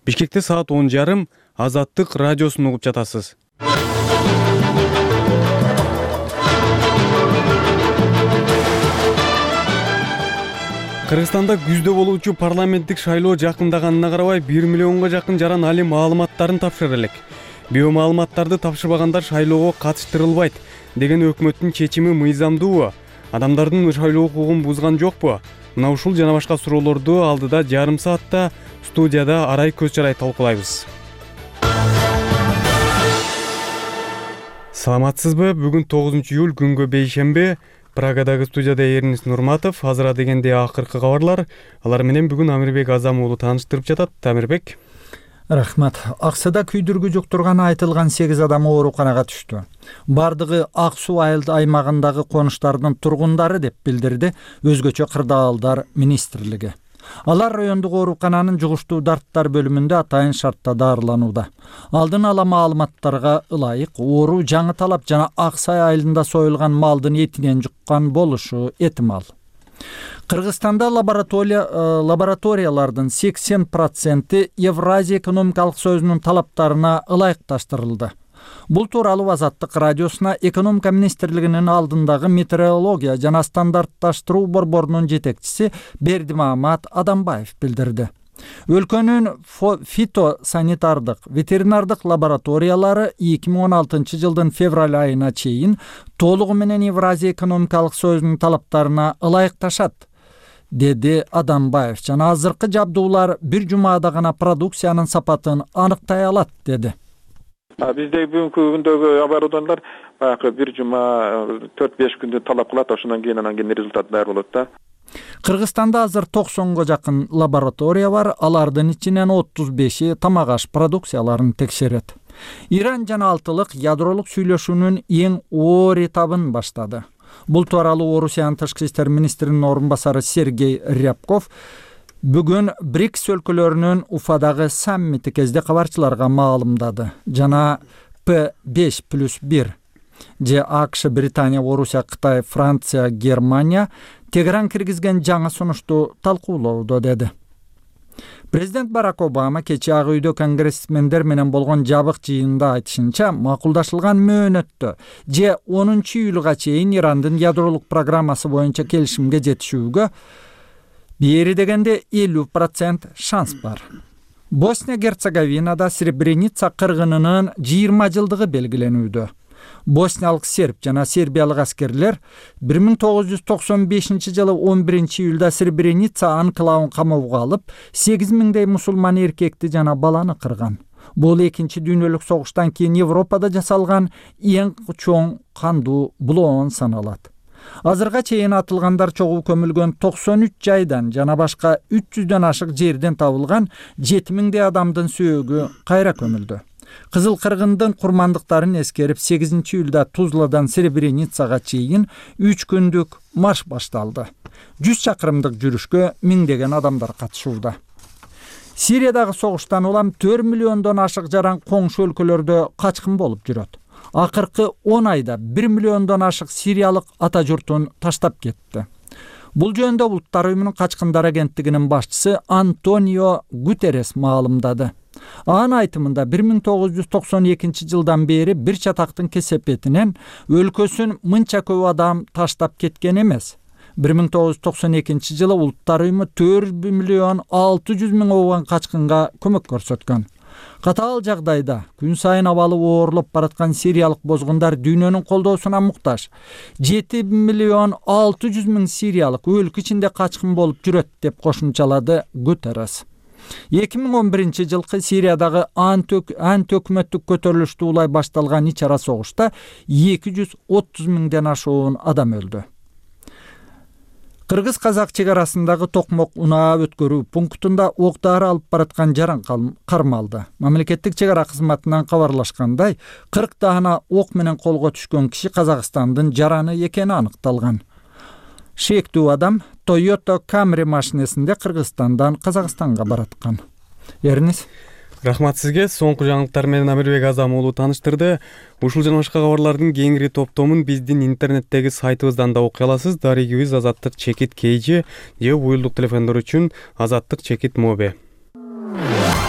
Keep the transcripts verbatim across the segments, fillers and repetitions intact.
Бишкекте саат он жарым Азаттык радиосун угуп жатасыз. Кыргызстанда күздө болуучу парламенттик шайлоо жакындаганына карабай бир миллионго жакын жаран али маалыматтарын тапшырыр элек. Биомаалыматтарды тапшырбагандар шайлоого катыштырылбайт деген өкмөттүн чечими мыйзамдуубу? Адамдардын шайлоо укугун бузган жокпу? Мына ушул жана башка суроолорду алдыда жарым саатта студияда арай көз чарай талкуулайбыз. Саламатсызбы? Бүгүн тогузунчу июль күнгө бейшемби. Прагадагы студияда Эрнис Нурматов. Азыр дегенде акыркы кабарлар. Алар менен бүгүн Амирбек Азам уулу тааныштырып жатат. Амирбек. Рахмат. Аксыда күйдүргү жуктурганы айтылган сегиз адам ооруканага түштү. Бардыгы Ак Суу айыл аймагындагы конуштардын тургундары деп билдирди өзгөчө кырдаалдар министрлиги. Алар райондук оорукананын жугуштуу дарттар бөлүмүндө атайын шартта дарыланууда. Алдын ала маалыматтарга ылайык оору жаңы талап жана Ак Сай айылында союлган малдын этинен жуккан болушу этимал. Кыргызстанда лаборатория лабораториялардын сексен проценти Евразия экономикалык союзунун талаптарына ылайыкташтырылды. Бул тууралуу Азаттык радиосуна экономика министрлигинин алдындагы метеорология жана стандартташтыруу борборунун жетекчиси Бердимамат Адамбаев билдирди. Өлкөнүн фитосанитардык, ветеринардык лабораториялары эки миң он алтынчы жылдын февраль айына чейин толугу менен Евразия экономикалык союзунун талаптарына ылайыкташат, деди Адамбаев. Жана азыркы жабдуулар бир жумада гана продукциянын сапатын аныктай алат, деди. Бизде бүгүнкү күндөгү оборудованиялар баягы бир жума төрт беш күндө талап кылат, ошондон кийин анан кийин результат даяр болот да. Кыргызстанда азыр токсонго жакын лаборатория бар, алардын ичинен отуз беши тамак-аш продукцияларын текшерет. Иран жана Алтылык ядролук сүйлөшүүнүн эң оор этабын баштады. Бул тууралуу Орусиянын тышкы иштер министринин орун басары Сергей Рябков бүгүн БРИКС өлкөлөрүнүн Уфадагы саммити кезде кабарчыларга маалымдады. Жана П беш плюс бир же АКШ, Британия, Орусия, Кытай, Франция, Германия Тегеран киргизген жаңы сунушту талкуулоодо, деди. Президент Барак Обама кечээ Ак үйдө конгрессмендер менен болгон жабык жыйында айтышынча, макулдашылган мөөнөттө же онунчу июлга чейин Ирандын ядролук программасы боюнча келишимге жетишүүгө бери дегенде элүү процент шанс бар. Босния-Герцеговинада Сребреница кыргынынын жыйырма жылдыгы белгиленүүдө. Босниялык серб жана сербиялык аскерлер бир миң тогуз жүз токсон бешинчи жылы он биринчи июлда Сребреница анклавын камоого алып, сегиз миңдей мусулман эркекти жана баланы кырган. Бул экинчи дүйнөлүк согуштан кийин Европада жасалган эң чоң кандуу булоон саналат. Азырга чейин атылгандар чогуу көмүлгөн токсон үч жайдан жана башка үч жүздөн ашык жерден табылган жети миңдей адамдын сөөгү кайра көмүлдү. Кызыл кыргындын курмандыктарын эскерип сегизинчи июлда Тузладан Сребреницага чейин үч күндүк марш башталды. жүз чакырымдык жүрүшкө миңдеген адамдар катышууда. Сириядагы согуштан улам төрт миллиондон ашык жаран коңшу өлкөлөрдө качкын болуп жүрөт. Акыркы он айда бир миллиондон ашык сириялык ата журтун таштап кетти. Бул жөнүндө Улуттар уюмунун качкындар агенттигинин башчысы Антонио Гутеррес маалымдады. Анын айтымында бир миң тогуз жүз токсон экинчи жылдан бери бир чатактын кесепетинен өлкөсүн мынча көп адам таштап кеткен эмес. бир миң тогуз жүз токсон экинчи жылы Улуттар уюму төрт миллион алты жүз миң ооган качкынга көмөк көрсөткөн. Катаал жагдайда күн сайын абалы оорлоп бараткан сириялык бозгундар дүйнөнүн колдоосуна муктаж. жети миллион алты жүз миң сириялык өлкө ичинде качкын болуп жүрөт, деп кошумчалады Гутеррес. эки миң он биринчи жылкы Сириядагы антөкмөттүк көтөрүлүштү улай башталган ич-ара согушта эки жүз отуз миңден ашуун адам өлдү. Кыргыз-казак чек арасындагы Токмок унаа өткөрүү пунктунда ок-дары алып бараткан жаран кармалды. Мамлекеттик чек ара кызматынан кабарлашкандай, кырк даана ок менен колго түшкөн киши Казакстандын жараны экени аныкталган. Шектүү адам Toyota Camry машинесинде Кыргызстандан Казакстанга бараткан. Эрнис. Рахмат сизге. Соңку жаңылыктар менен Амирбек Азам уулу тааныштырды. Ушул жана башка кабарлардын кеңири топтомун биздин интернеттеги сайтыбыздан да окуй аласыз. Дарегибиз Азаттык чекит кейжи же уюлдук телефондор үчүн Азаттык чекит моби.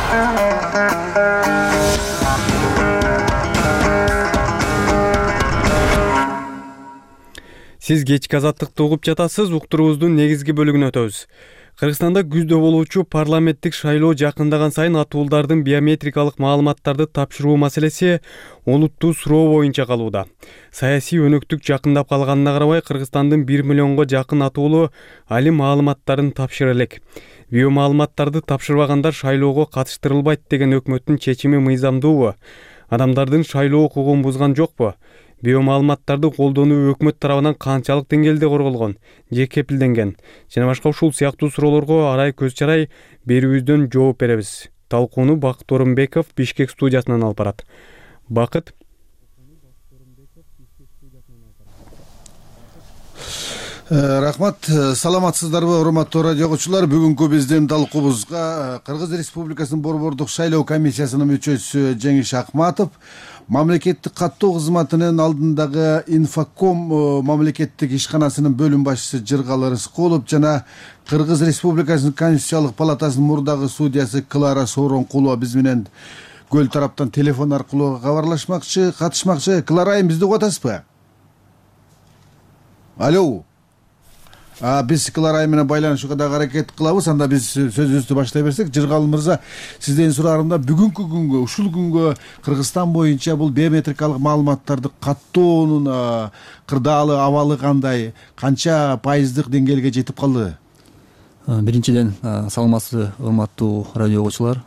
Сиз кечки азаттыкты угуп жатасыз. Уктуруубуздун негизги бөлүгүнө өтөбүз. Кыргызстанда күздө болуучу парламенттик шайлоо жакындаган сайын атуулдардын биометрикалык маалыматтарды тапшыруу маселеси олуттуу суроо боюнча калууда. Саясий өнөктүк жакындап калганына карабай, Кыргызстандын бир миллионго жакын атуулу али маалыматтарын тапшыра элек. Биомаалыматтарды тапшырбагандар шайлоого катыштырылбайт деген өкмөттүн чечими мыйзамдуубу? Адамдардын шайлоо укугун бузган жокпу? Биомаалыматтарды колдонуу өкмөт тарабынан канчалык деңгээлде корголгон же кепилденген? Жана башка ушул сыяктуу суроолорго арай көз чарай берүүбүздөн жооп беребиз. Талкууну Бакыт Орунбеков Бишкек студиясынан алып барат. Бакыт. Рахмат, саламатсыздарбы урматтуу радио окуучулар? Бүгүнкү биздин талкуубузга Кыргыз Республикасынын борбордук шайлоо комиссиясынын мүчөсү Жеңиш Акматов, мамлекеттик каттоо кызматынын алдындагы Инфоком мамлекеттик ишканасынын бөлүм башчысы Жыргалы Рыскулов жана Кыргыз Республикасынын Конституциялык палатасынын мурдагы судьясы Клара Сооронкулова биз менен көл тараптан телефон аркылуу кабарлашмакчы, катышмакчы. Клара айым, бизди угуп атасызбы? Алло. А биз Клара айым менен байланышууга дагы аракет кылабыз. Анда биз сөзүбүздү баштай берсек, Жыргалы мырза, сизден сураарымда бүгүнкү күнгө, ушул күнгө Кыргызстан боюнча бул биометрикалык маалыматтарды каттоонун кырдаалы абалы кандай, канча пайыздык деңгээлге жетип калды? Биринчиден, саламатсызбы урматтуу радио окуучулар.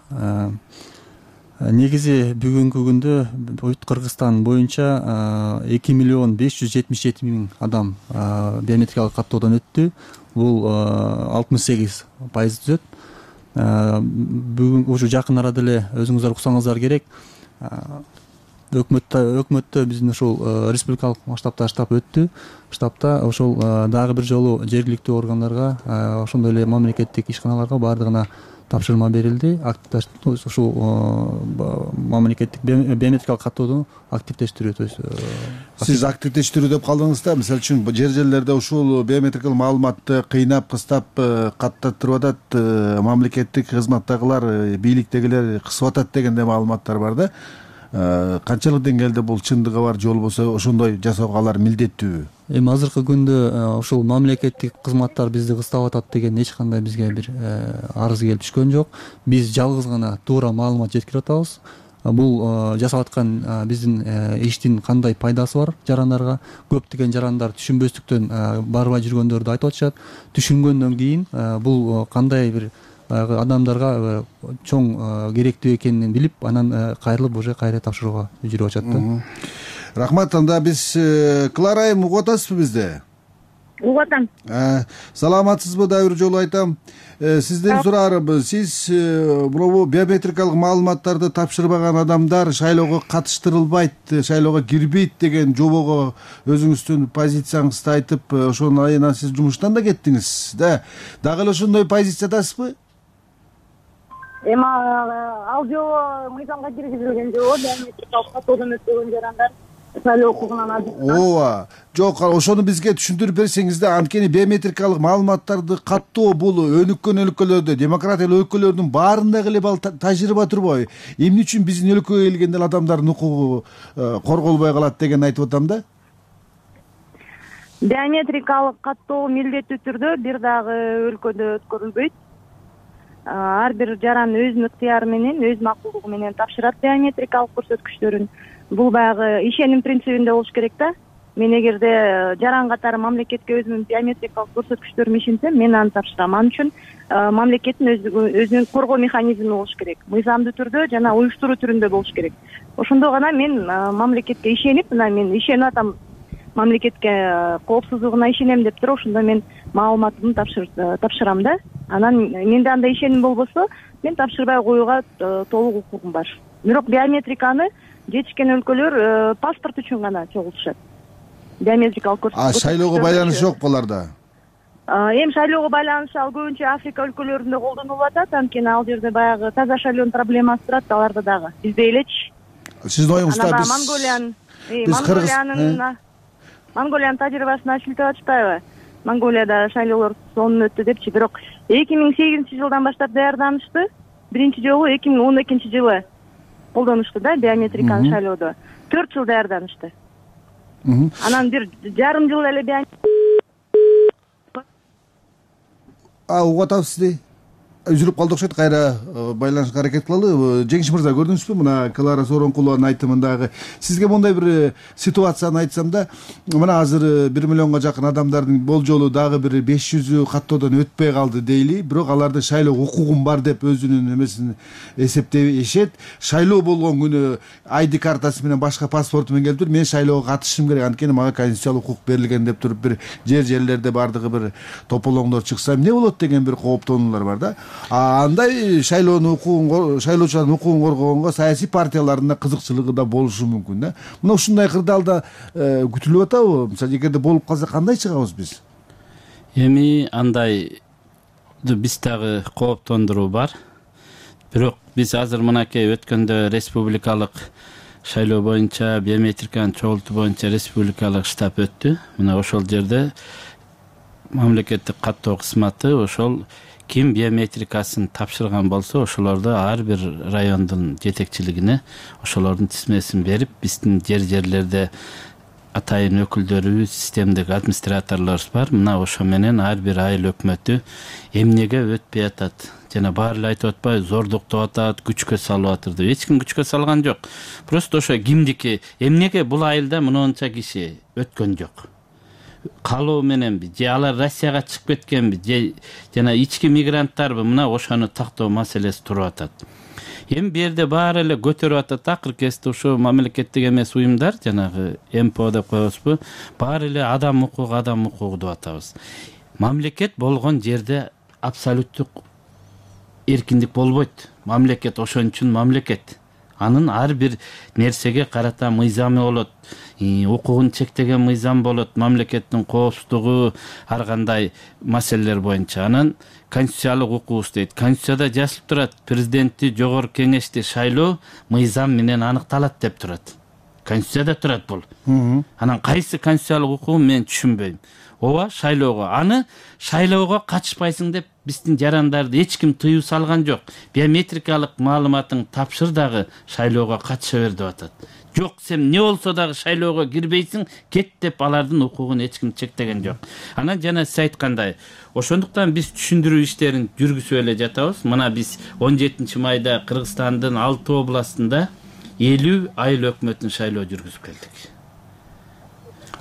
Негизи бүгүнкү күндө Кыргызстан боюнча эки миллион беш жүз жетимиш жети миң адам биометрикалык каттоодон өттү. Бул алтымыш сегиз пайыз түзөт. Бүгүн ушу жакын арада эле өзүңүздөр уксаңыздар керек. Өкмөттө өкмөттө биздин ушул республикалык масштабта штаб өттү. Штабта ошол дагы бир жолу жергиликтүү органдарга, ошондой эле мамлекеттик ишканаларга баардыгына тапшырма берилди. Ушул мамлекеттик биометрикалык каттоону активдештирүү. То есть сиз активдештирүү деп калдыңыз да. Мисалы үчүн жер жерлерде ушул биометрикалык маалыматты кыйнап, кыстап каттаттырып атат, мамлекеттик кызматтагылар, бийликтегилер кысып атат дегенде маалыматтар бар да. Канчалык деңгээлде бул чындыгы бар, же болбосо ошондой жасоого алар милдеттүүбү? Эми азыркы күндө ушул мамлекеттик кызматтар бизди кыстап атат деген эч кандай бизге бир арыз келип түшкөн жок. Биз жалгыз гана туура маалымат жеткирип атабыз. Бул жасап аткан биздин иштин кандай пайдасы бар жарандарга? Көптөгөн жарандар түшүнбөстүктөн барбай жүргөндөрдү айтып атышат. Түшүнгөндөн кийин бул кандай бир адамдарга чоң керектүү экенин билип, анан кайрылып уже кайра тапшырууга жүрүп атышат да. Рахмат. Анда биз Клара айым, угуп атасызбы бизди? Угуп атам. Саламатсызбы? Дагы бир жолу айтам. Сизден сураарым, сиз бул биометрикалык маалыматтарды тапшырбаган адамдар шайлоого катыштырылбайт, шайлоого кирбейт деген жобого өзүңүздүн позицияңызды айтып, ошонун айынан сиз жумуштан да кеттиңиз да. Дагы эле ошондой позициядасызбы? Эми ал жобо мыйзамга киргизилген жобо, биометрикалык каттоодон өтпөгөн жарандар шайлоо укугунан азыркы. Ооба. Жок, ошону бизге түшүндүрүп берсеңиз да. Анткени биометрикалык маалыматтарды каттоо бул өнүккөн өлкөлөрдө, демократиялык өлкөлөрдүн баарында эле бул тажрыйба турбайбы? Эмне үчүн биздин өлкөгө келгенде адамдардын укугу корголбой калат деген айтып атам да. Биометрикалык каттоо милдеттүү түрдө бир дагы өлкөдө өткөрүлбөйт. Ар бир жаран өзүнүн ыктыяры менен, өз макулдугу менен тапшырат биометрикалык көрсөткүчтөрүн. Бул баягы ишеним принцибинде болуш керек да. Мен эгерде жаран катары мамлекетке өзүмдүн биометрикалык көрсөткүчтөрүмдү ишенсем, мен аны тапшырам. Ал үчүн мамлекеттин өзүнүн коргоо механизми болуш керек. Мыйзамдуу түрдө жана уюштуруу түрүндө болуш керек. Ошондо гана мен мамлекетке ишенип, мына мен ишенип атам, мамлекетке коопсуздугуна ишенем деп туруп, ошондо мен маалыматымды тапшырам да. Анан менде андай ишеним болбосо, мен тапшырбай коюуга толук укугум бар. Бирок биометриканы жетишкен өлкөлөр паспорт үчүн гана чогултушат. Биометрикалык көрсөткүч. А шайлоого байланышы жок буларда? Эми шайлоого байланышы ал көбүнчө Африка өлкөлөрүндө колдонулуп атат, анткени ал жерде баягы таза шайлоонун проблемасы турат, аларда дагы. Бизде элечи. Сиздин оюңузда биз Монголиянын Монголиянын Монголиянын тажрыйбасына шилтеп атышпайбы? Монголияда шайлоолор сонун өттү депчи, бирок эки миң сегизинчи жылдан баштап даярданышты. биринчи жолу эки миң он экинчи жылы колдонушту да биометрикалык шайлоодо. төрт жыл даярданышты. Анан бир жарым жыл эле биометрик. А угуп атабыз сизди. Үзүлүп калды окшойт, кайра байланышка аракет кылалы. Жеңиш мырза, көрдүңүзбү мына Клара Сооронкулованын айтымындагы? Сизге мондай бир ситуацияны айтсам да, мына азыр бир миллионго жакын адамдардын болжолу дагы бир беш жүзү каттоодон өтпөй калды дейли, бирок алардын шайлоо укугум бар деп өзүнүн эмесин эсептешет. Шайлоо болгон күнү ай ди картасы менен башка паспорту менен келип туруп, мен шайлоого катышышым керек, анткени мага конституциялык укук берилген деп туруп бир жер жерлерде бардыгы бир тополоңдор чыкса эмне болот деген бир кооптонуулар бар да. А андай шайлоонун укугун, шайлоочулардын укугун коргогонго саясий партиялардын да кызыкчылыгы да болушу мүмкүн да. Мына ушундай кырдаалда күтүлүп атабы? Мисалы, эгерде болуп калса кандай чыгабыз биз? Эми андай биз дагы кооптондуруу бар. Бирок биз азыр мынакей өткөндө республикалык шайлоо боюнча биометриканы чогултуу боюнча республикалык штаб өттү. Мына ошол жерде мамлекеттик каттоо кызматы ошол ким биометрикасын тапшырган болсо ошолорду ар бир райондун жетекчилигине ошолордун тизмесин берип, биздин жер жерлерде атайын өкүлдөрүбүз, системдик администраторлорубуз бар. Мына ошо менен ар бир айыл өкмөтү эмнеге өтпөй атат, жана баары эле айтып атпайбы, зордуктап атат, күчкө салып атыр деп. Эч ким күчкө салган жок. Просто ошо кимдики, эмнеге бул айылда мынча киши өткөн жок, калоо мененби, же алар Россияга чыгып кеткенби, же жана ички мигранттарбы, мына ошону тактоо маселеси туруп атат. Эми бу жерде баары эле көтөрүп атат, акыркы кезде ошо мамлекеттик эмес уюмдар, жанагы эм пэ о деп коебузбу, баары эле адам укугу, адам укугу деп атабыз. Мамлекет болгон жерде абсолюттук эркиндик болбойт. Мамлекет ошон үчүн мамлекет. Анын ар бир нерсеге карата мыйзамы болот, укугун чектеген мыйзам болот, мамлекеттин коопсуздугу, ар кандай маселелер боюнча. Анан конституциялык укугубуз дейт. Конституцияда жазылып турат, президентти, жогорку кеңешти шайлоо мыйзам менен аныкталат деп турат. Конституцияда турат бул. Анан кайсы конституциялык укугун мен түшүнбөйм. Ооба, шайлоого. Аны шайлоого катышпайсың деп биздин жарандарды эч ким тыюу салган жок. Биометрикалык маалыматың тапшыр дагы шайлоого катыша бер деп атат. Жок, сен эмне болсо дагы шайлоого кирбейсиң, кет деп алардын укугун эч ким чектеген жок. Анан жана сиз айткандай, ошондуктан биз түшүндүрүү иштерин жүргүзүп эле жатабыз. Мына биз он жетинчи майда Кыргызстандын алты областында элүү айыл өкмөтүн шайлоо жүргүзүп келдик.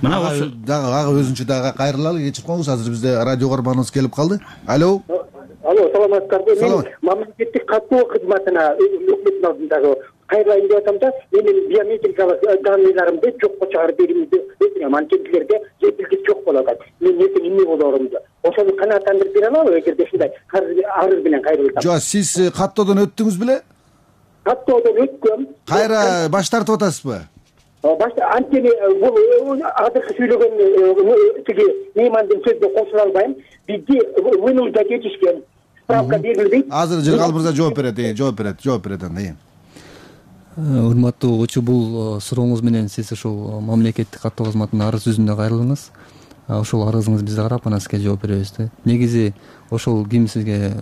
Мына ошо дагы ага өзүнчө дагы кайрылалы, кечирип коңуз, азыр бизде радио каарманыбыз келип калды. Алло. Алло, саламатсыздарбы? Мен мамлекеттик каттоо кызматына өкмөттүн алдындагы кайрылайын деп атам да, менин биометрикалык данныйларымды жокко чыгарып берүүмдү өтүнөм. Анткендилерге жетилгис жок болуп атат. Мен эртең эмне болорумду ошону канааттандырып бере алабы, эгерде ушундай арыз менен кайрылсам? Жок, сиз каттоодон өттүңүз беле? Каттоодон өткөм. Кайра баш тартып атасызбы? Башта анткени бул азыркы сүйлөгөн тиги меймандын сөзүнө кошула албайм. Бизди вынуждать этишкен, справка берилбейт. Азыр Жыргал мырза жооп берет, жооп берет, жооп берет анда. Урматтуу угуучу, бул сурооңуз менен сиз ушул мамлекеттик каттоо кызматына арыз жүзүндө кайрылдыңыз. Ошол арызыңызды бизде карап, анан сизге жооп беребиз да. Негизи ошол ким сизге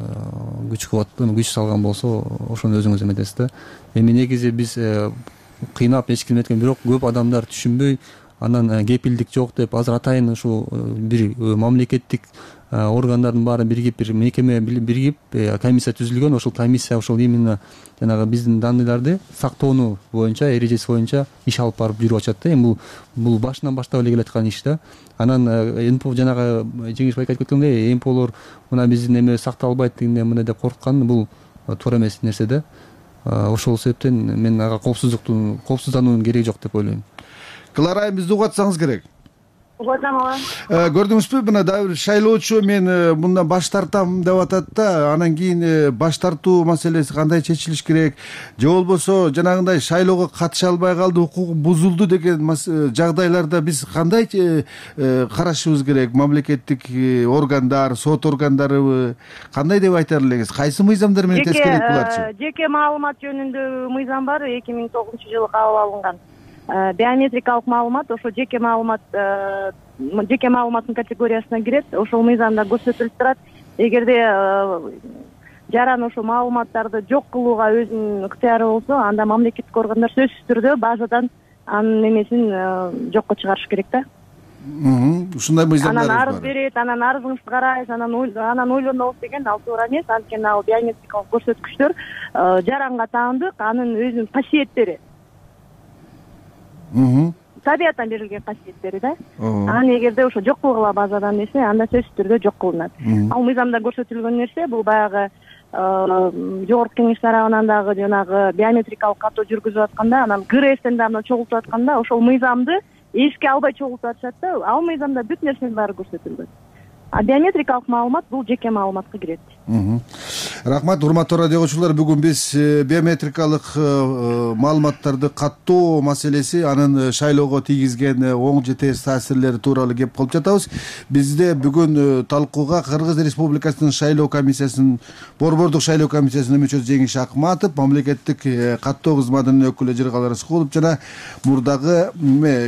күч кубаттуу, күч салган болсо, ошону өзүңүз эметесиз да. Эми негизи биз кыйнап эч ким эткен, бирок көп адамдар түшүнбөй, анан кепилдик жок деп азыр атайын ушул бир мамлекеттик органдардын баары биригип, бир мекеме биригип комиссия түзүлгөн. Ошол комиссия ошол именно жанагы биздин данныйларды сактоону боюнча, эрежеси боюнча иш алып барып жүрүп атышат да. Эми бул бул башынан баштап эле келаткан иш да. Анан эм пэ о жанагы Жеңиш байке айтып кеткендей, эм пэ олор мына биздин эме сакталбайт дегенде мындай деп корккан, бул туура эмес нерсе да. Ошол себептен мен ага коопсуздуктун коопсуздануунун кереги жок деп ойлойм. Клара, бизди угуп атсаңыз керек. Угуп атам ага. Көрдүңүзбү, мына дагы бир шайлоочу мен мындан баш тартам деп атат да, анан кийин баш тартуу маселеси кандай чечилиш керек, же болбосо жанагындай шайлоого катыша албай калды, укугу бузулду деген жагдайларда биз кандай карашыбыз керек? Мамлекеттик органдар, сот органдары кандай деп айтар элеңиз? Кайсы мыйзамдар менен тескерек буларчы? Жеке маалымат жөнүндө мыйзам бар, эки миң тогузунчу жылы кабыл алынган. Биометрикалык маалымат ошо жеке маалымат, жеке маалыматтын категориясына кирет. Ошол мыйзамда көрсөтүлүп турат. Эгерде жаран ошол маалыматтарды жок кылууга өзүнүн ыктыяры болсо, анда мамлекеттик органдар сөзсүз түрдө базадан анын эмесин жокко чыгарыш керек да. Ушундай мыйзамдар бар. Анан арыз берет, анан арызыңызды карайбыз, анан анан ойлонобуз деген ал туура эмес. Анткени ал биометрикалык көрсөткүчтөр жаранга таандык, анын өзүнүн касиеттери. Табиятан берилген касиеттери да. Анан эгерде ошо жок кылгыла базадан десе, анда сөзсүз түрдө жок кылынат. Ал мыйзамда көрсөтүлгөн нерсе бул баягы жогорку кеңеш тарабынан дагы жанагы биометрикалык каттоо жүргүзүп атканда, анан ГРСтен дагы чогултуп атканда ошол мыйзамды эске албай чогултуп атышат да. Ал мыйзамда бүт нерсенин баары көрсөтүлгөн. А биометрикалык маалымат бул жеке маалыматка кирет. Рахмат, урматтуу радио угуучулар. Бүгүн биз биометрикалык маалыматтарды каттоо маселеси, анын шайлоого тийгизген оң же терс таасирлери тууралуу кеп кылып жатабыз. Бизде бүгүн талкууга Кыргыз Республикасынын шайлоо комиссиясынын борбордук шайлоо комиссиясынын мүчөсү Жеңиш Акматов, мамлекеттик каттоо кызматынын өкүлү Жыргал Рыскулов жана мурдагы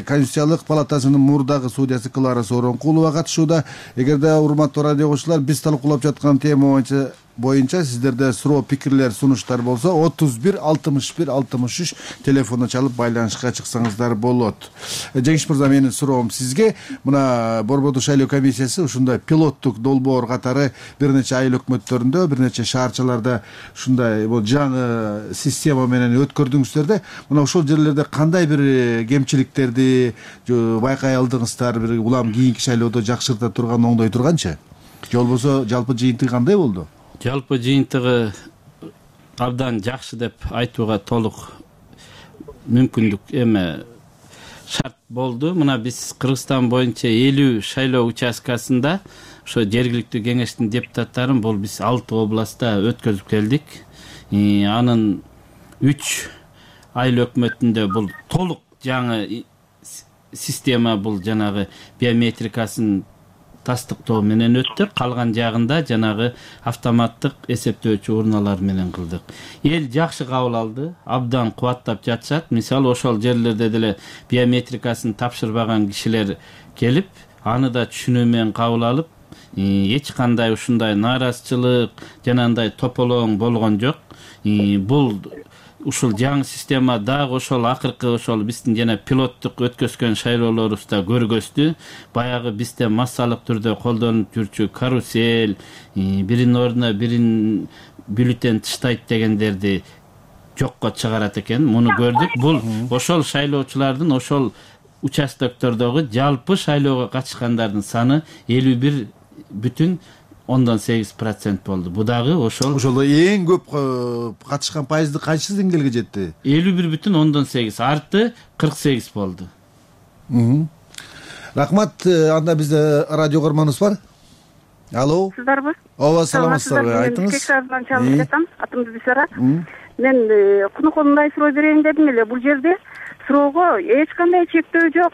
Конституциялык палатасынын мурдагы судьясы Клара Сооронкулова катышууда. Эгерде урматтуу радио угуучулар, биз талкуулап жаткан тема боюнча боюнча сиздерде суроо, пикирлер, сунуштар болсо отуз бир алтымыш бир алтымыш үч телефону чалып байланышка чыксаңыздар болот. Жеңиш мырза, менин суроом сизге, мына борбордук шайлоо комиссиясы ушундай пилоттук долбоор катары бир нече айыл өкмөттөрүндө, бир нече шаарчаларда ушундай бул жаңы система менен өткөрдүңүздөр да, мына ошол жерлерде кандай бир кемчиликтерди байкай алдыңыздар, бир улам кийинки шайлоодо жакшырта турган, оңдой турганчы? Же болбосо жалпы жыйынтыгы кандай болду? Жалпы жыйынтыгы абдан жакшы деп айтууга толук мүмкүндүк эме шарт болду. Мына биз Кыргызстан боюнча элүү шайлоо участкасында ошо жергиликтүү кеңештин депутаттарын бул биз алты областта өткөзүп келдик. Анын үч айыл өкмөтүндө бул толук жаңы система, бул жанагы биометрикасын тастыктоо менен өттү. Калган жагында жанагы автоматтык эсептөөчү урналар менен кылдык. Эл жакшы кабыл алды, абдан кубаттап жатышат. Мисалы ошол жерлерде деле биометрикасын тапшырбаган кишилер келип, аны да түшүнүү менен кабыл алып, эч кандай ушундай нааразычылык жанагындай тополоң болгон жок. Бул ушул жаңы система дагы ошол акыркы ошол биздин жана пилоттук өткөзгөн шайлоолорубузда көргөздү. Баягы бизде массалык түрдө колдонуп жүрчү карусель, биринин ордуна бирин бюллетень тыштайт дегендерди жокко чыгарат экен. Муну көрдүк. Бул ошол шайлоочулардын ошол участоктордогу жалпы шайлоого катышкандардын саны элүү бир бүтүн ондон сегиз процент болду. Бу дагы ошол ошол эң көп катышкан пайызды кайсы деңгээлге жетти? элүү бир бүтүн ондон сегиз, арты кырк сегиз болду. Рахмат. Анда бизде радио көрмөнүбүз бар. Алло. Сиздарбы? Ооба, саламатсыздарбы? Айтыңыз. Кешардан чалып жатам. Атым Бисара. Мен кунукундай суроо берейин дедим эле. Бул жерде суроого эч кандай чектөө жок.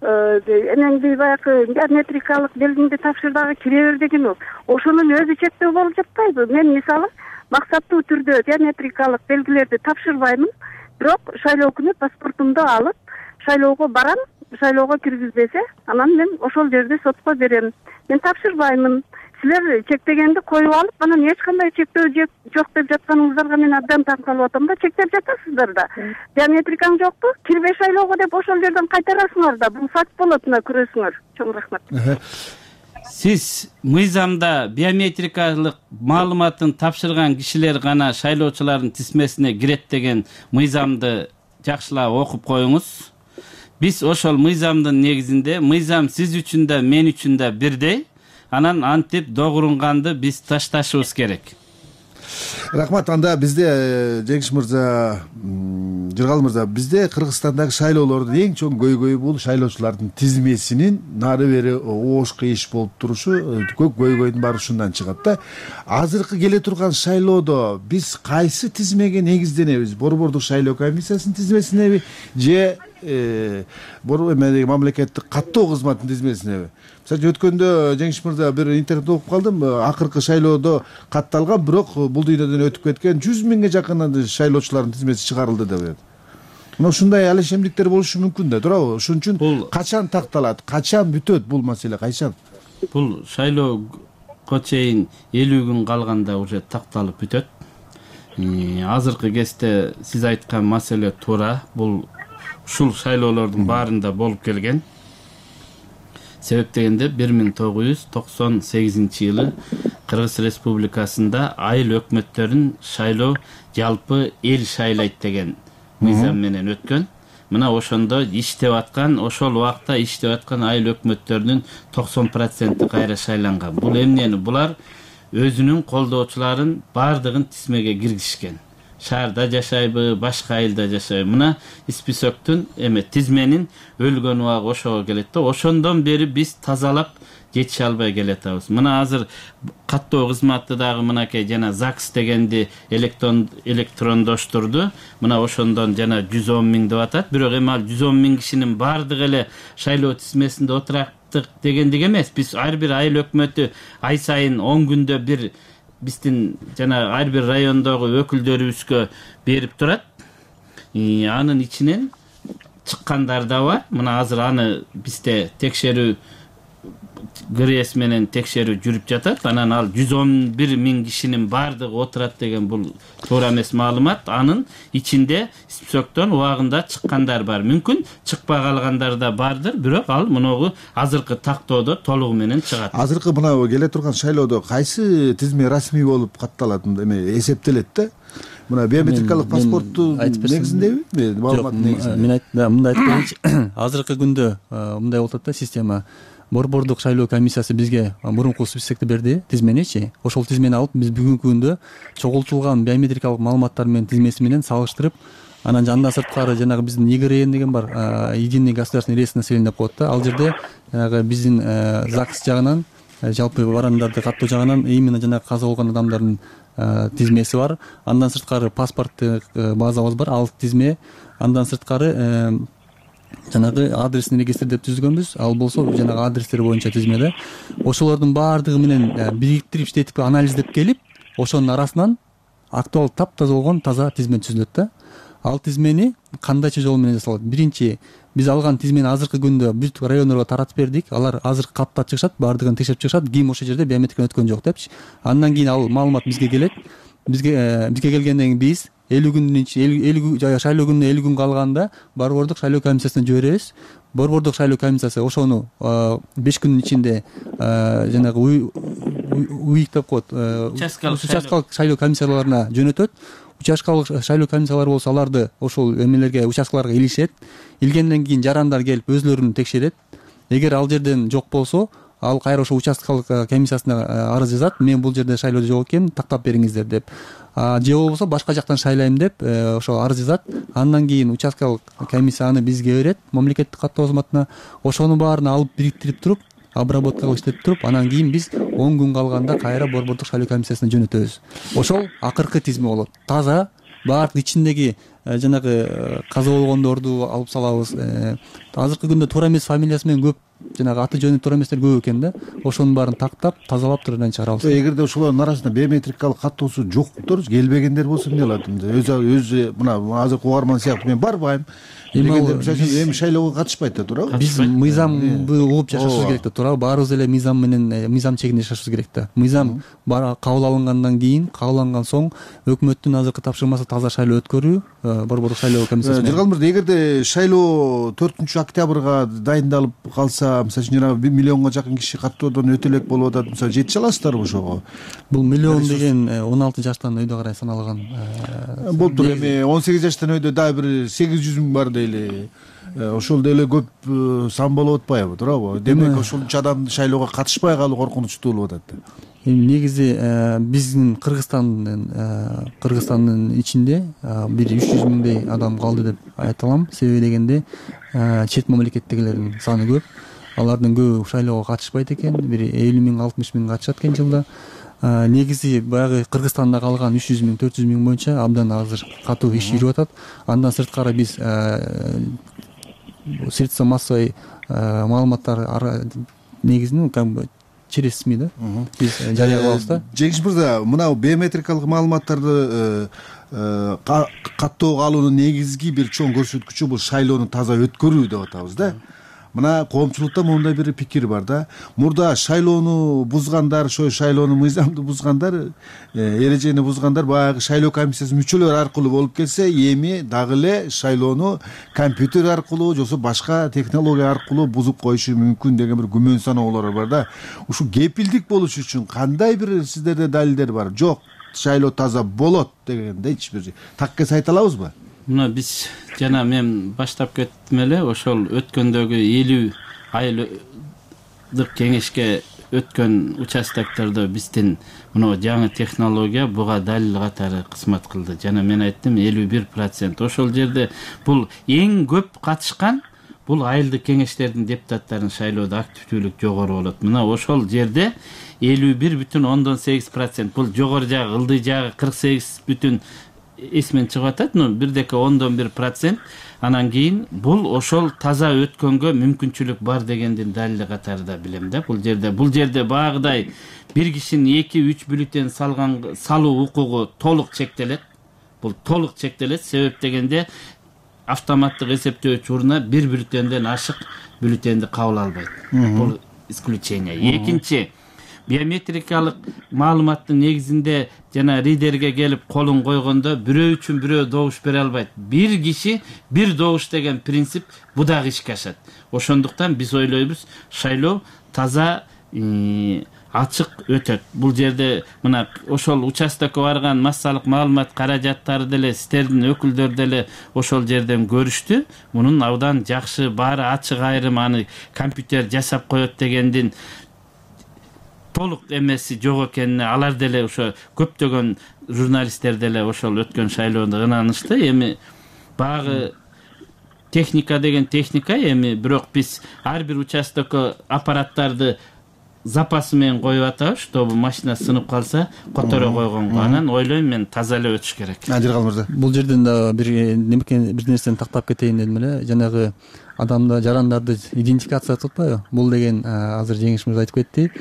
Энеңди баягы биометрикалык белгиңди тапшыр дагы кире бер деген ол. Ошонун өзү чектөө болуп жатпайбы? Мен мисалы максаттуу түрдө биометрикалык белгилерди тапшырбаймын, бирок шайлоо күнү паспортумду алып шайлоого барам, шайлоого киргизбесе, анан мен ошол жерде сотко берем. Мен тапшырбаймын. Силер чектегенди коюп алып, анан эч кандай чектөө жок деп жатканыңыздарга мен абдан таң калып атам да. Чектеп жатасыздар да. Биометрикаң жокпу? Кирбей шайлоого деп ошол жерден кайтарасыңар да. Бул факт болот, мына көрөсүңөр. Чоң рахмат. Сиз мыйзамда биометрикалык маалыматын тапшырган кишилер гана шайлоочулардын тизмесине кирет деген мыйзамды жакшылап окуп коюңуз. Биз ошол мыйзамдын негизинде, мыйзам сиз үчүн да мен үчүн да бирдей. Анан антип догурунганды биз ташташыбыз керек. Рахмат. Анда бизде Жеңиш мырза, Жыргал мырза, бизде Кыргызстандагы шайлоолордун эң чоң көйгөйү бул шайлоочулардын тизмесинин нары бери оош кыйыш болуп турушу. Көк көйгөйдүн баары ушундан чыгат да. Азыркы келе турган шайлоодо биз кайсы тизмеге негизденебиз? Борбордук шайлоо комиссиясынын тизмесинеби же мамлекеттик каттоо кызматынын тизмесинеби? Мисалы өткөндө Жеңиш мырза бир интернет окуп калдым. Акыркы шайлоодо катталган, бирок бул дүйнөдөн өтүп кеткен жүз миңге жакын шайлоочулардын тизмеси чыгарылды деп атат. Мына ушундай алешемдиктер болушу мүмкүн да, туурабы? Ошон үчүн качан такталат, качан бүтөт бул маселе, качан? Бул шайлоо чейин элүү күн калганда уже такталып бүтөт. Азыркы кезде сиз айткан маселе туура. Бул ушул шайлоолордун баарында болуп келген. Себеп дегенде бир миң тогуз жүз токсон сегизинчи жылы Кыргыз Республикасында айыл өкмөттөрүн шайлоо жалпы эл шайлайт деген мыйзам менен өткөн. Мына ошондо иштеп аткан, ошол убакта иштеп аткан айыл өкмөттөрүнүн токсон проценти кайра шайланган. Бул эмнени? Булар өзүнүн колдоочуларын баардыгын тизмеге киргизишкен. Шаарда жашайбы, башка айылда жашайбы. Мына списоктун эме тизменин өлгөн убагы ошого келет да. Ошондон бери биз тазалап жетише албай келатабыз. Мына азыр каттоо кызматы дагы мынакей жана ЗАГС дегенди электрон электрондоштурду. Мына ошондон жана жүз он миң деп атат. Бирок эми ал жүз он миң кишинин баардыгы эле шайлоо тизмесинде отураттык дегендик эмес. Биз ар бир айыл өкмөтү ай сайын он күндө бир биздин жана ар бир райондогу өкүлдөрүбүзгө берип турат. Анын ичинен чыккандар да бар. Мына азыр аны бизде текшерүү ГРС менен текшерүү жүрүп жатат. Анан ал жүз он бир миң кишинин баардыгы отурат деген бул туура эмес маалымат. Анын ичинде списоктон убагында чыккандар бар. Мүмкүн чыкпай калгандар да бардыр, бирок ал муногу азыркы тактоодо толугу менен чыгат. Азыркы мына келе турган шайлоодо кайсы тизме расмий болуп катталат, эме эсептелет да? Мына биометрикалык паспорттун негизиндеби? Маалымат негизинде. Мен айтам, мындай айтып коеюнчу. Азыркы күндө мындай болуп атат да система. Борбордук шайлоо комиссиясы бизге мурунку списокти берди, тизменичи. Ошол тизмени алып биз бүгүнкү күндө чогултулган биометрикалык маалыматтар менен тизмеси менен салыштырып, анан андан сырткары жанагы биздин ИГРН деген бар, единый государственный реестр населения деп коет да. Ал жерде жанагы биздин ЗАГС жагынан, жалпы барандарды каттоо жагынан именно жанагы каза болгон адамдардын тизмеси бар. Андан сырткары паспорттук базабыз бар, ал тизме. Андан сырткары жанагы адресный регистр деп түзгөнбүз. Ал болсо жанагы адрестер боюнча тизмеде. Ошолордун баардыгы менен бириктирип иштетип анализдеп келип, ошонун арасынан актуал таптаза болгон таза тизме түзүлөт да. Ал тизмени кандайча жол менен жасалат? Биринчи, биз алган тизмени азыркы күндө бүт райондорго таратып бердик. Алар азыр катта чыгышат, баардыгын текшерип чыгышат. Ким ошол жерде биометриканы өткөн жок депчи. Андан кийин ал маалымат бизге келет. Бизге бизге келгенден кийин биз элүү күндүн ичинде элүү шайлоо күнүнө элүү күн калганда борбордук шайлоо комиссиясына жиберебиз. Борбордук шайлоо комиссиясы ошону беш күндүн ичинде жанагы уйик деп коет, участкалык шайлоо комиссияларына жөнөтөт. Участкалык шайлоо комиссиялары болсо аларды ошол эмелерге, участкаларга илишет. Илгенден кийин жарандар келип өзлөрүн текшерет. Эгер ал жерден жок болсо, ал кайра ошо участкалык комиссиясына арыз жазат. Мен бул жерде шайлоодо жок экенмин, тактап бериңиздер деп. Же болбосо башка жактан шайлайм деп ошо арыз жазат. Андан кийин участкалык комиссия аны бизге берет, мамлекеттик каттоо кызматына. Ошонун баарын алып бириктирип туруп, обработка кылып иштетип туруп, анан кийин биз он күн калганда кайра борбордук шайлоо комиссиясына жөнөтөбүз. Ошол акыркы тизме болот. Таза, баардык ичиндеги жанагы каза болгондорду алып салабыз. Азыркы күндө туура эмес фамилиясы менен көп, жанагы аты жөнү туура эместер көп экен да. Ошонун баарын тактап, тазалап турган чыгарабыз. Эгерде ошолордун арасында биометрикалык каттоосу жоктор, келбегендер болсо эмне кылат? Өзү өзү мына азыркы угарман сыяктуу мен барбайм. Эми шайлоого катышпайт да, туурабы? Биз мыйзамды угуп жашашыбыз керек да, туурабы? Баарыбыз эле мыйзам менен, мыйзам чегинде жашашыбыз керек да. Мыйзам кабыл алынгандан кийин, кабыл алынган соң өкмөттүн азыркы тапшырмасы таза шайлоо өткөрүү, борбордук шайлоо комиссиясы менен. Жыргал мырза, эгерде шайлоо төртүнчү октябрга дайындалып калса, мисалы үчүн жанагы бир миллионго жакын киши каттоодон өтө элек болуп атат, мисалы жетише аласыздарбы ошого? Бул миллион деген он алты жаштан өйдө карай саналган. Болуптур, эми он сегиз жаштан өйдө дагы бир сегиз жүз миң бар дейли. Ошол деле көп сан болуп атпайбы, туурабы? Демек ошончо адам шайлоого катышпай калуу коркунучтуу болуп атат да. Эми негизи биздин Кыргызстандын Кыргызстандын ичинде бир үч жүз миңдей адам калды деп айта алам. Себеби дегенде чет мамлекеттегилердин саны көп. Алардын көбү шайлоого катышпайт экен. Бир элүү миң, алтымыш миң катышат экен жылда. Негизи баягы Кыргызстанда калган үч жүз миң, төрт жүз миң боюнча абдан азыр катуу иш жүрүп атат. Андан сырткары биз средства массовой маалыматтар негизинен как бы через СМИ да биз жарыя кылабыз да. Жеңиш мырза, мына биометрикалык маалыматтарды каттоого алуунун негизги бир чоң көрсөткүчү бул шайлоону таза өткөрүү деп атабыз да. мына коомчулукта моундай бир пикир бар да, мурда шайлоону бузгандар, ошо шайлоонун мыйзамды бузгандар, эрежени бузгандар баягы шайлоо комиссиясынын мүчөлөрү аркылуу болуп келсе, эми дагы эле шайлоону компьютер аркылуу же болбосо башка технология аркылуу бузуп коюшу мүмкүн деген бир күмөн саноолор бар да. Ушу кепилдик болуш үчүн кандай бир сиздерде далилдер бар? Жок, шайлоо таза болот дегендейчи бир таккес айта алабызбы? Мына биз жана мен баштап кеттим эле, ошол өткөндөгү элүү айлык кеңешке өткөн участоктордо биздин мына жаңы технология буга далил катары кызмат кылды. Жана мен айттым элүү бир процент. Ошол жерде бул эң көп катышкан бул айылдык кеңештердин депутаттарын шайлоодо активдүүлүк жогору болот. Мына ошол жерде элүү бир бүтүн ондон сегиз процент. Бул жогору жагы, ылдый жагы кырк сегиз бүтүн эсмен чыгып атат, но бирдеке ондон бир процент. Анан кийин бул ошол таза өткөнгө мүмкүнчүлүк бар дегендин далили катары да билем да. Бул жерде бул жерде багыдай бир кишинин эки үч бюллетень салган салуу укугу толук чектелет. Бул толук чектелет. Себеп дегенде автоматтык эсептөөчү урна бир бюллетенден ашык бюллетенди кабыл албайт. Бул исключение. Экинчи, биометрикалык маалыматтын негизинде жана ридерге келип колун койгондо бирөө үчүн бирөө добуш бере албайт. Бир киши бир добуш деген принцип бу дагы ишке ашат. Ошондуктан биз ойлойбуз, шайлоо таза ачык өтөт. Бул жерде мына ошол участокко барган массалык маалымат каражаттары деле, сиздердин өкүлдөр деле ошол жерден көрүштү. Мунун абдан жакшы, баары ачык айрым, аны компьютер жасап коет дегендин толук эмеси жок экенине алар деле ошо көптөгөн журналисттер деле ошол өткөн шайлоодо ынанышты. Эми багы техника деген техника, эми бирок биз ар бир участокко аппараттарды запасы менен коюп атабыз, чтобы машина сынып калса которо койгонго. Анан ойлойм мен таза эле өтүш керек. Адиргал мырза. Бул жерден да бир немекен бир нерсени тактап кетейин дедим эле. Жанагы адамда жарандарды идентификация кылып атпайбы? Бул деген азыр Жеңиш мырза айтып кетти.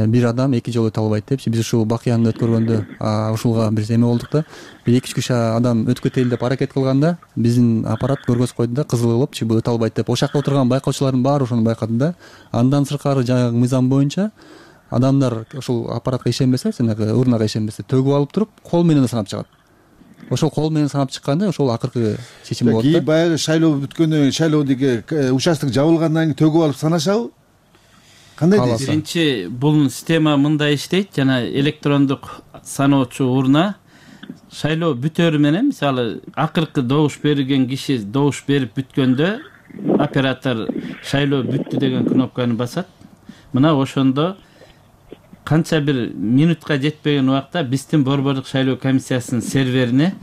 Бир адам эки жолу өтө албайт депчи. Биз ушул бакыяны өткөргөндө ушулга бир эме болдук да. Бир эки үч киши адам өтүп кетели деп аракет кылганда биздин аппарат көргөзүп койду да, кызыл кылып, бул өтө албайт деп. Ошол жакта отурган байкоочулардын баары ошону байкады да. Андан сырткары жанагы мыйзам боюнча адамдар ошол аппаратка ишенбесе, жанагы урнага ишенбесе, төгүп алып туруп кол менен санап чыгат. Ошол кол менен санап чыкканда ошол акыркы чечим болот да. Кийин баягы шайлоо бүткөндөн кийин, шайлоодоги участок жабылгандан кийин төгүп алып санашабы? Кандай дейсиз? Биринчи, бул система мындай иштейт, жана электрондук саноочу урна шайлоо бүтөрү менен, мисалы, акыркы добуш берилген киши добуш берип бүткөндө оператор шайлоо бүттү деген кнопканы басат. Мына ошондо канча бир минутка жетпеген убакта биздин борбордук шайлоо комиссиясынын серверине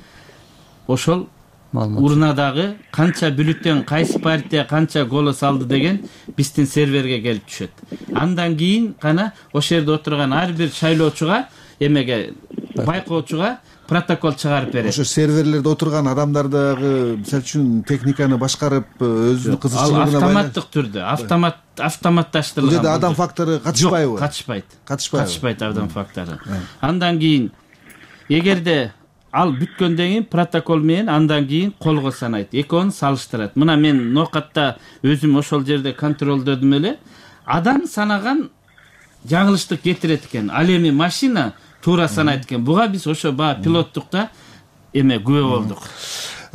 ошол урнадагы канча бюллетень, кайсы партия канча голос алды деген биздин серверге келип түшөт. Андан кийин гана ошол жерде отурган ар бир шайлоочуга, эмеге байкоочуга протокол чыгарып берет. Ошо серверлерде отурган адамдар дагы мисалы үчүн техниканы башкарып, өзүнүн кызыкчылыгына автоматтык түрдө, автомат автоматташтырылган. Бул жерде адам фактору катышпайбы? Катышпайт. Катышпайт. Катышпайт адам фактору. Андан кийин эгерде ал бүткөндөн кийин протокол менен андан кийин колго санайт. Экөөнү салыштырат. Мына мен нокатта өзүм ошол жерде контролдодум эле. Адам санаган жаңылыштык кетирет экен. Ал эми машина туура санайт экен. Буга биз ошо баа пилоттукта эме күбө болдук.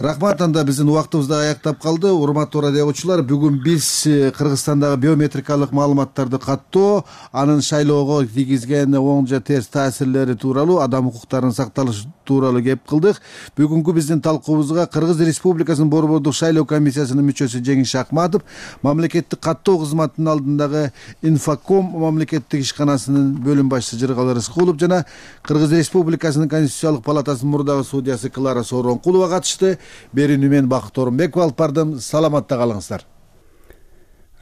Рахмат, анда биздин убактыбыз да аяктап калды. Урматтуу радио угуучулар, бүгүн биз Кыргызстандагы биометрикалык маалыматтарды каттоо, анын шайлоого тийгизген оң же терс таасирлери тууралуу, адам укуктарынын сакталышы тууралуу кеп кылдык. Бүгүнкү биздин талкуубузга Кыргыз Республикасынын борбордук шайлоо комиссиясынын мүчөсү Жеңиш Акматов, мамлекеттик каттоо кызматынын алдындагы Инфоком мамлекеттик ишканасынын бөлүм башчысы Жыргал Рыскулов жана Кыргыз Республикасынын Конституциялык палатасынын мурдагы судьясы Клара Сооронкулова катышты. Берүүнү мен Бакыт Орунбеков алып бардым. Саламатта калыңыздар.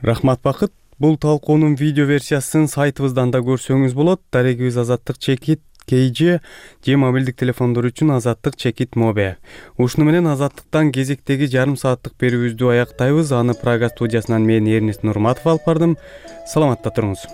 Рахмат Бакыт. Бул талкуунун видео версиясын сайтыбыздан да көрсөңүз болот. Дарегибиз Азаттык чекит кей же же мобилдик телефондор үчүн Азаттык чекит мобе. Ушуну менен Азаттыктан кезектеги жарым сааттык берүүбүздү аяктайбыз. Аны Прага студиясынан мен Эрнест Нурматов алып бардым. Саламатта туруңуз.